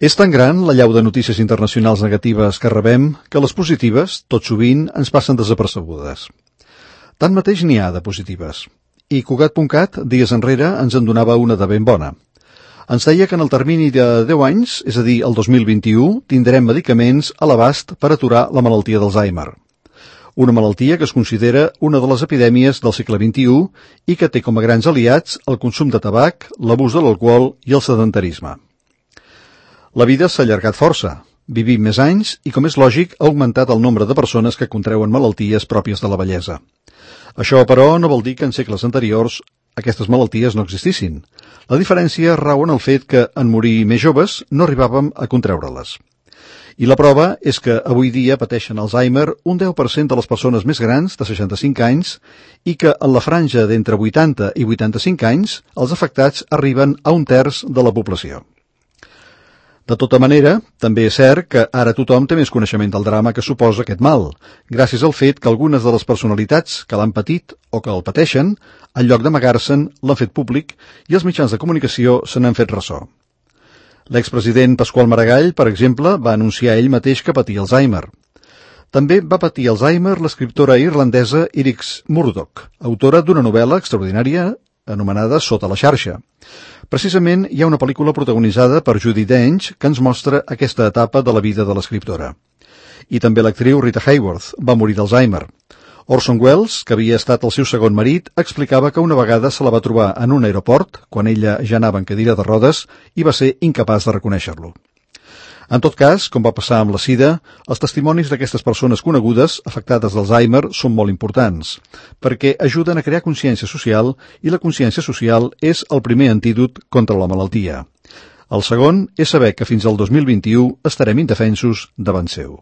És tan gran l'allau de notícies internacionals negatives que rebem que les positives, tot sovint, ens passen desapercebudes. Tanmateix n'hi ha de positives. I Cugat.cat, dies enrere, ens en donava una de ben bona. Ens deia que en el termini de 10 anys, és a dir, el 2021, tindrem medicaments a l'abast per aturar la malaltia d'Alzheimer. Una malaltia que es considera una de les epidèmies del segle XXI i que té com a grans aliats el consum de tabac, l'abús de l'alcohol i el sedentarisme. La vida s'ha allargat força, vivim més anys i, com és lògic, ha augmentat el nombre de persones que contreuen malalties pròpies de la vellesa. Això, però, no vol dir que en segles anteriors aquestes malalties no existissin. La diferència rau en el fet que, en morir més joves, no arribàvem a contreure-les. I la prova és que avui dia pateixen Alzheimer un 10% de les persones més grans, de 65 anys, i que en la franja d'entre 80 i 85 anys els afectats arriben a un terç de la població. De tota manera, també és cert que ara tothom té més coneixement del drama que suposa aquest mal, gràcies al fet que algunes de les personalitats que l'han patit o que el pateixen, en lloc d'amagar-se'n, l'han fet públic i els mitjans de comunicació se n'han fet ressò. L'expresident Pasqual Maragall, per exemple, va anunciar ell mateix que patia Alzheimer. També va patir Alzheimer l'escriptora irlandesa Iris Murdoch, autora d'una novel·la extraordinària anomenada Sota la xarxa. Precisament hi ha una pel·lícula protagonitzada per Judi Dench que ens mostra aquesta etapa de la vida de l'escriptora. I també l'actriu Rita Hayworth va morir d'Alzheimer. Orson Welles, que havia estat el seu segon marit, explicava que una vegada se la va trobar en un aeroport, quan ella ja anava en cadira de rodes, i va ser incapaç de reconèixer-lo. En tot cas, com va passar amb la sida, els testimonis d'aquestes persones conegudes afectades d'Alzheimer són molt importants, perquè ajuden a crear consciència social i la consciència social és el primer antídot contra la malaltia. El segon és saber que fins al 2021 estarem indefensos davant seu.